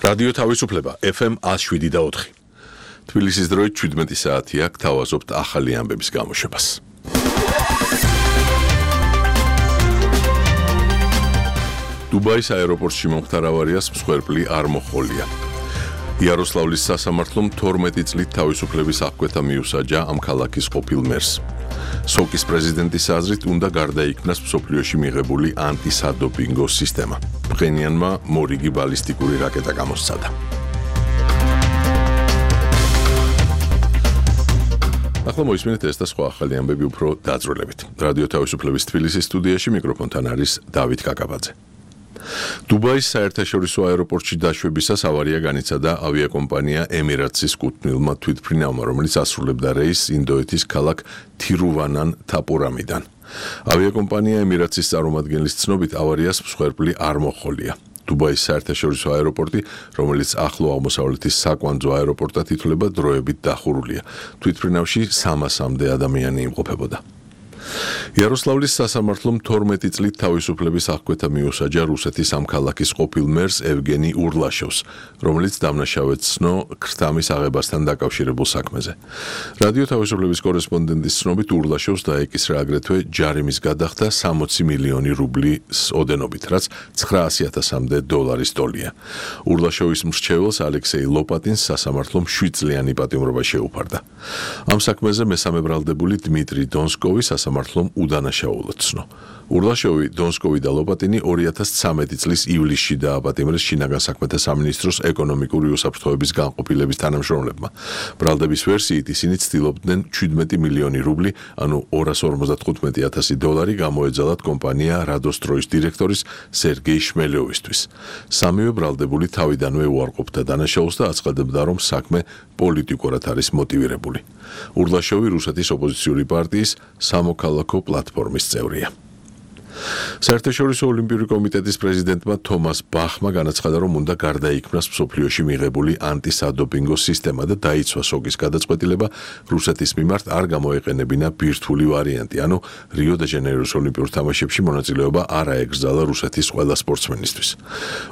რადიო თავისუფლება FM 107.4. თბილისის დროით 17 საათია, გთავაზობთ ახალი ამბების გამოშვებას. დუბაის აეროპორტში მომხდარ ავარიას მსხვერპლი არ მოჰყოლია. იაროსლავლის სასამართლომ 12 წლით თავისუფლების აღკვეთა მიუსაჯა ამ ქალაქის ყოფილ მერს. სოკის პრეზიდენტის აზრით უნდა გარდაიქმნას მსოფლიოში მიღებული ანტისადოპინგო სისტემა. ფხენიანმა მორიგი ბალისტიკური რაკეტა გამოსცადა. ახლა მოისმინეთ ეს და სხვა ახალი ამბები უფრო დაძროლებით. რადიო თავისუფლების თბილისის სტუდიაში მიკროფონთან არის დავით კაკაბაძე. დუბაის საერთაშორისო აეროპორტში დაშვებისას ავარია განიცადა ავიაკომპანია ემირატსის კუთვნილმა თვითმფრინავმა, რომელიც ასრულებდა რეისს ინდოეთის ქალაქ თირუვანან თაპურამიდან. ავიაკომპანია ემირატსის წარმომადგენლის ცნობით ავარიას მსხვერპლი არ მოჰყოლია. დუბაის საერთაშორისო აეროპორტი, რომელიც ახლო აღმოსავლეთის საკვანძო აეროპორტად ითვლება, დროებით დახურულია. თვითმფრინავში 300-მდე ადამიანი იმყოფებოდა. იაროსლავლის სასამართლომ 12 წლით თავისუფლების აღკვეთა მიუსაჯა რუსეთის ამ ქალაქის ყოფილ მერს ევგენი ურლაშოვს, რომელიც დამნაშავედ ცნო ქრთამის აღებასთან დაკავშირებულ საქმეზე. რადიო თავისუფლების კორესპონდენტის ცნობით ურლაშოვს დაეკისრა აგრეთვე ჯარიმის გადახდა 60 მილიონი რუბლის ოდენობით, რაც 900,000-მდე დოლარის ტოლია. ურლაშოვის მრჩეველს ალექსეი ლოპატინს სასამართლომ 7 წლიანი პატიმრობა შეუფარდა. ამ საქმეზე მესამე ბრალდებული დმიტრი დონსკოვი სასამართლომ უდანაშაულად ცნო. ურლაშოვი, დონსკოვი და ლოპატინი 2013 წლის ივლისში დააპატიმრეს შინაგან საქმეთა სამინისტროს ეკონომიკური უსაფრთხოების განყოფილების თანამშრომლებმა. ბრალდების ვერსიით ისინი ცდილობდნენ 17 მილიონი რუბლი, ანუ 255,000 დოლარი გამოეძალათ კომპანია რადოსტროის დირექტორის სერგეი შმელიოვისთვის. სამივე ბრალდებული თავიდანვე უარყოფდა დანაშაულს და აცხადებდა, რომ საქმე პოლიტიკურად არის მოტივირებული. ურლაშოვი რუსეთის ოპოზიციური პარტიის სამოქალაქო პლატფორმის წევრია. საერთაშორისო ოლიმპიური კომიტეტის პრეზიდენტმა თომას ბახმა განაცხადა, რომ უნდა გარდაიქმნას მსოფლიოში მიღებული ანტისადოპინგო სისტემა და დაიცვა სოკის გადაწყვეტილება რუსეთის მიმართ არ გამოეყენებინა ბირთვული ვარიანტი, ანუ რიო-დე-ჟანეიროს ოლიმპიურ თამაშებში მონაწილეობა არ აეგზალა რუსეთის ყველა სპორტსმენისთვის.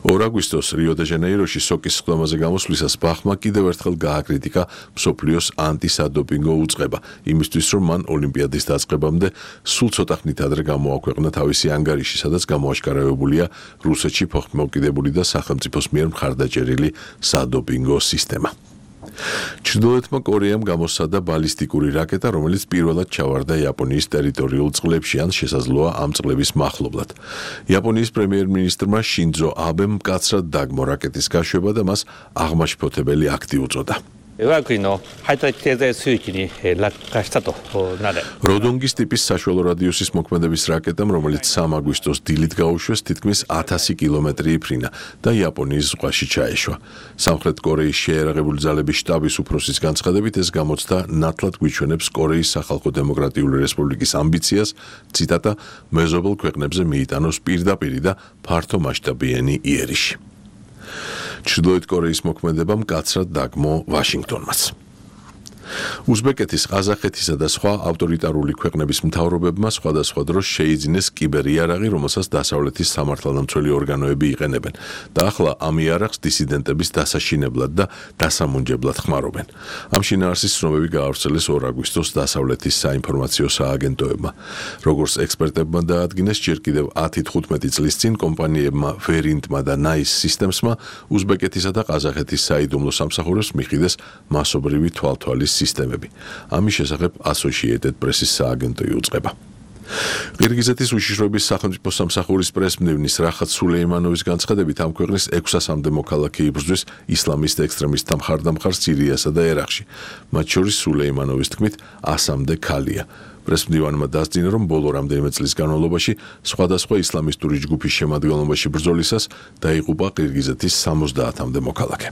2 აგვისტოს რიო-დე-ჟანეიროში სოკის სხდომაზე გამოსვლისას ბახმა კიდევ ერთხელ გააკრიტიკა მსოფლიოს ანტისადოპინგო უწყება, იმისთვის, რომ მან ოლიმპიადის დაწყებამდე სულ ცოტა ხნით ადრე გამოაქვეყნა თავისი ანგარიში, სადაც გამოაშკარავებულია რუსეთში ფოხმოვკიდებული და სახელმწიფოს მიერ მხარდაჭერილი სადოპინგო სისტემა. ჩრდილოეთმა კორეამ გამოსცადა ბალისტიკური რაკეტა, რომელიც პირველად ჩავარდა იაპონიის ტერიტორიულ წყლებში, ან შესაძლოა ამ წყლების მახლობლად. იაპონიის პრემიერ-მინისტრმა შინძო აბემ მკაცრად დაგმო რაკეტის გაშვება და მას აღმაშფოთებელი აქტი უწოდა. როდონგის ტიპის საშუალო რადიუსის მოქმედების რაკეტამ, რომელიც 3 აგვისტოს დილით გაუშვეს, თითქმის 1000 კილომეტრი იფრინა და იაპონიის ზღვაში ჩაეშვა. სამხრეთ კორეის შეიარაღებული ძალების შტაბის უფროსის განცხადებით, ეს გამოცდა ნათლად გვიჩვენებს კორეის სახალხო დემოკრატიული რესპუბლიკის ამბიციას, ციტატა, მეზობელ ქვეყნებზე მიიტანოს პირდაპირი და ფართომასშტაბიანი იერიში. ჩრდილოეთ კორეის მოქმედება მკაცრად დაგმო ვაშინგტონმაც. უზბეკეთის, ყაზახეთისა და სხვა ავტორიტარული ქვეყნების მთავრობებმა სხვადასხვა დროს შეიძინეს კიბერიარაღი, რომელსაც დასავლეთის სამართალდამცველი ორგანოები იყენებენ და ახლა ამ იარაღს დისიდენტების დასაშინებლად და დასამუნჯებლად ხმარობენ. ამ შინაარსის ცნობები გაავრცელეს 2 აგვისტოს დასავლეთის საინფორმაციო სააგენტოებმა. როგორც ექსპერტებმა დაადგინეს, ჯერ კიდევ 10-15 წლის წინ კომპანიებმა ვერინტმა და ნაის სისტემსმა უზბეკეთისა და ყაზახეთის საიდუმლო სამსახურებს მიხიდეს მასობრივი თვალთვალის სისტემები. ამის შესახებ Associated Press-ის სააგენტო იუწყება. ყირგიზეთის უშიშროების სახელმწიფო სამსახურის პრესმდივნის რახატ სულეიმანოვის განცხადებით, ამ ქვეყნის 600-მდე მოქალაქე იბრძვის ისლამისტ ექსტრემისტთა მხარდამხარ სირიასა და ერაყში. მათ შორის სულეიმანოვის თქმით 100-მდე ქალია. პრესმდივანმა დასძინა, რომ ბოლო რამდენიმე წლის განმავლობაში სხვადასხვა ისლამისტური ჯგუფის შემადგენლობაში ბრძოლისას დაიღუპა ყირგიზეთის 70-მდე მოქალაქე.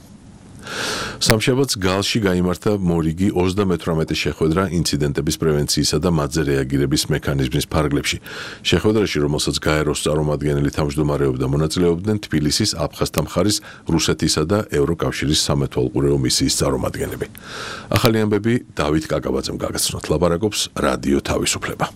სამშაბათს გალში გაიმართა მორიგი 38 შეხვედრა ინციდენტების პრევენციისა და მათზე რეაგირების მექანიზმის ფარგლებში. შეხვედრაში, რომელსაც გაეროს წარმომადგენელი თავმჯდომარეობდა, მონაწილეობდნენ თბილისის აფხაზთა მხარის, რუსეთისა და ევროკავშირის სამეთვალყურეო მისიის წარმომადგენლები. ახალი ამბები დავით კაკაბაძემ გაგაცნოთ. ლაპარაკობს რადიო თავისუფლება.